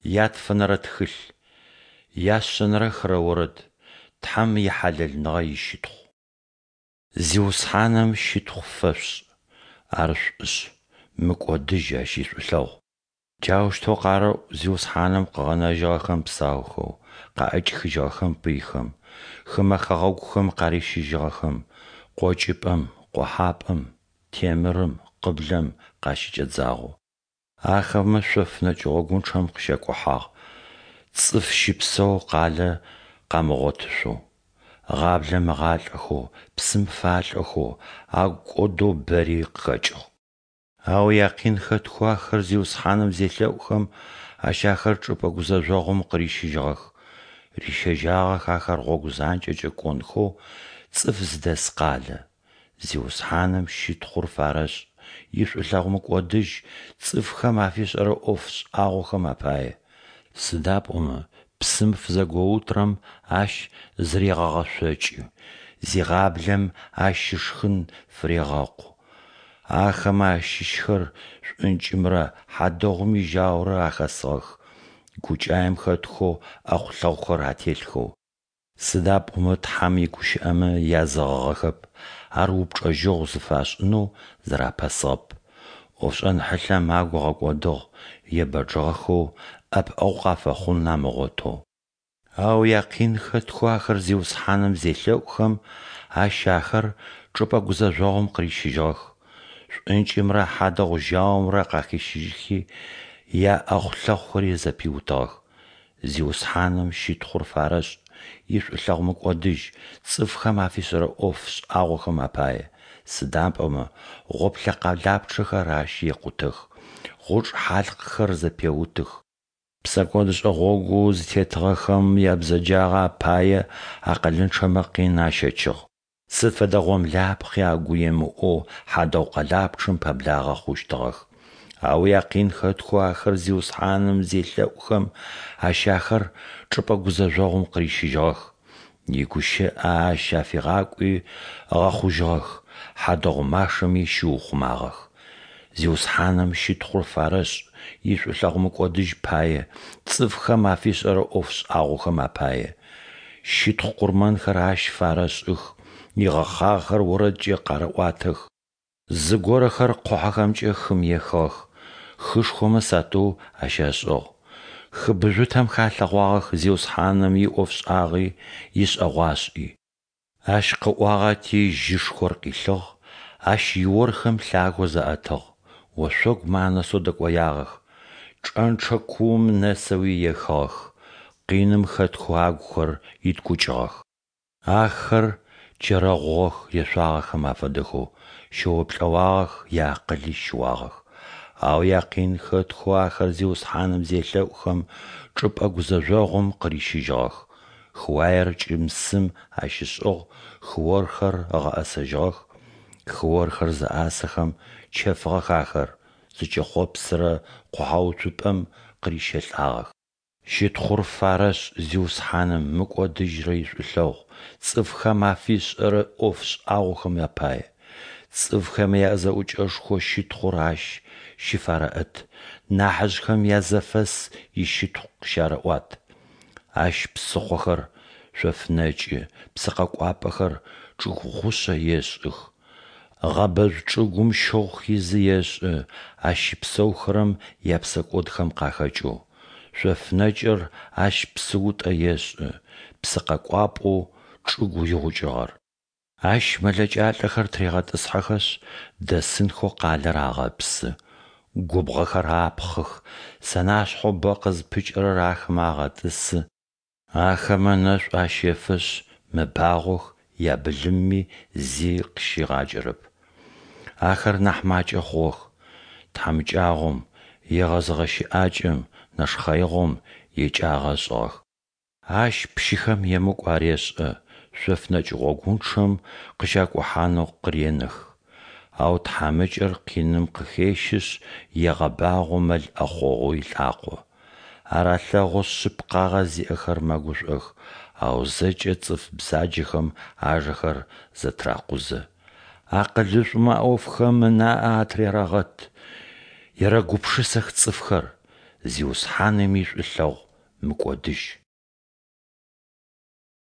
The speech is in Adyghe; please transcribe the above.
Ятфэнэрэ тхылъ. Яшъэнэрэ хырэ орэд. Тхьэм ихьалэлныгъэ ищытхъу. Зиусхьаным щытхъу фэшъушӏ, Ар шӏушъ, мыкӏодыжь Ащ ишӏулъэгъу. Джаущтэу къарэӏу Зиусхьаным къыгъэнэжьыгъэхэм псаухэу, къаӏэкӏихыжьыгъэхэм пыйхэм, хымэ хэгъэгухэм къарищыжьыгъэхэм, къокӏыпӏэм, къохьапӏэм, темырым, къыблэм къащыкӏэдзагъэу. Ахэмэ шъоф нэкӏ гъогунчъэм къыщакӏухьагъ, цӏыф щыпсэу къалэ къамыгъотышъоу. Гъаблэм ыгъалӏэхэу, псым фалӏэхэу, агу кӏодэу бэри къыхэкӏыгъ. Ау якъин хэтхэу ахэр Зиусхьаным зелъэӏухэм, Ащ ахэр чӏыпӏэ гузэжъогъум къырищыжьыгъэх. Рищэжьагъэх ахэр гъогу занкӏэкӏэ кӏонхэу цӏыф зыдэс къалэ. Зиусхьаным щытхъур фарэшӏ, ишӏулъэгъу мыкӏодыжь цӏыфхэм афишӏэрэ ӏоф шӏагъохэм апае. Сыда пӏомэ псым фызэгоутырэм Ащ зырегъэгъэшъокӏы, зигъаблэм Ащ ышхын фырегъэкъу. Ахэмэ ащыщхэр шӏункӏымрэ хьадэгъум ижьаурэ ахэсыгъэх, гукӏаем хэтхэу ӏэхъулъэхъухэр ателъхэу. Сыда пӏомэ Тхьэм игущыӏэмэ язэгъыгъэхэп, Ар упчӏэжьэгъу зыфашӏынэу зырапэсыгъэп. ӏофшӏэн хьылъэм агу ыгъэкӏодыгъ, ебэджыгъэхэу ӏэпыӏэгъу къафэхъун амыгъотэу. Ау якъин хэтхэу ахэр Зиусхьаным зелъэӏухэм, Ащ ахэр чӏыпӏэ гузэжъогъум къырищыжьыгъэх. Шӏункӏымрэ хьадэгъу жьаумрэ къахищыжьхи, яӏэхъулъэхъухэри зэпиутыгъэх. Зиусхьаным щытхъур фарэшӏ, ишӏулъэгъу мыкӏодыжь цӏыфхэм афишӏэрэ ӏоф шӏагъохэм апае. Сыда пӏомэ гъоплъэ къэлапчъэхэр ащ екъутэх, гъучӏ хьалъкъхэр зэпеутых. Псэкӏодышӏэ гъогоу зытетыгъэхэм ябзэджагъэ апае акъылынчъэмэ къин ащэчыгъ. Сыд фэдэ гъомлапхъи агу емыӏоу хьадэгъу къэлапчъэм пэблагъэ хъущтыгъэх. Ау якъин хэтхэу ахэр Зиусхьаным зелъэӏухэм, Ащ ахэр чӏыпӏэ гузэжъогъум къырищыжьыгъэх. Игущыӏэ Ащ афигъакӏуи ыгъэхъужьыгъэх, хьадэгъу машэми щиухъумагъэх. Зиусхьаным щытхъур фарэшӏ, ишӏулъэгъу мыкӏодыжь пае, цӏыфхэм афишӏэрэ ӏоф шӏагъохэм апае. Щытхъу къурмэнхэр Ащ фарэшӏых, игъэхъагъэхэр орэдкӏэ къарэӏуатэх. Зыгорэхэр къухьэхэмкӏэ хым ехыгъэх, хышхомэ сатыу ащашӏыгъ. Хы быжъутэм халъэгъуагъэх Зиусхьаным иӏофшӏагъи, ишӏэгъуашӏи. Ащ къыӏуагъэти, жьышхор къилъыгъ, Ащ иорхэм лъагэу заӏэтыгъ, ошъогумэ анэсэу дэкӏоягъэх, чӏэнчъэ куум нэсэуи ехыгъэх, къиным хэтхэу агухэр иткӏукӏыгъэх. Ахэр чэрэгъугъэх ешъуагъэхэм афэдэхэу, щэоплӏэуагъэх, яакъыли щыуагъэх. Ау якъин хэтхэу ахэр Зиусхьаным зелъэӏухэм, чӏыпӏэ гузэжъогъум къырищыжьыгъэх. Хыуаер кӏым-сым ащишӏыгъ, хыорхэр ыгъэӏэсэжьыгъэх. Хыорхэр зэӏасэхэм, чэфыгъэх ахэр, зыкӏэхъопсырэ къухьэуцупӏэм къырищэлӏагъэх. Щытхъур фарэшӏ Зиусхьаным мыкӏодыжьрэ ишӏулъэгъу, цӏыфхэм афишӏэрэ ӏоф шӏагъохэм апае. Цӏыфхэм язэӏукӏэшхо щытхъур Ащ щыфарэӏэт, нахьыжъхэм язэфэс ищытхъу къыщарэӏуат. Ащ псыхъохэр шъоф нэкӏы, псыкъэкӏуапӏэхэр чӏыгу гъушъэ ешӏых. Гъэбэжъу чӏыгум щыгъу хизы ешӏы, ащ щыпсэухэрэм япсэкӏодхэм къахэкӏэу. Шъоф нэкӏыр ащ псыутӏэ ешӏы, псыкъэкӏуапӏэу чӏыгу игъукӏыгъэр. Ащ мэлэкӏалӏэхэр тырегъэтӏысхьэхэшъ, дэсынхэу къалэр агъэпсы. Губгъохэр апхъых, сэнашъхьэу бэ къызпыкӏырэр ахэмэ агъэтӏысы. Ахэмэ ынэшӏу ащэфэшъ, мэбагъох, ябылымми зи къыщигъакӏэрэп. Ахэр нахь макӏэ хъугъэх. Тхьамыкӏагъом, егъэзыгъэ щыӏакӏэм, нэшхъэигъом екӏагъэ ышӏыгъэх. Ащ пщыхэм емыкӏу арешӏэ, шъоф нэкӏ гъогунчъэм къыщакӏухьанэу къыренэх. Ау тхьамыкӏэр къиным къыхещышъ, егъэбагъо мэл ӏэхъогъоу илӏакъо. Ар алъэгъушъ, шъыпкъагъэ зиӏэхэр мэгушӏох, ау зэкӏэ цӏыф бзаджэхэм ажэхэр зэтыракъузэ. Акъылышӏумэ а ӏофхэм ынаӏэ атырерэгъэт, ерэгупшысэх цӏыфхэр. Зиусхьаным ишӏулъэгъу мыкӏодыжь.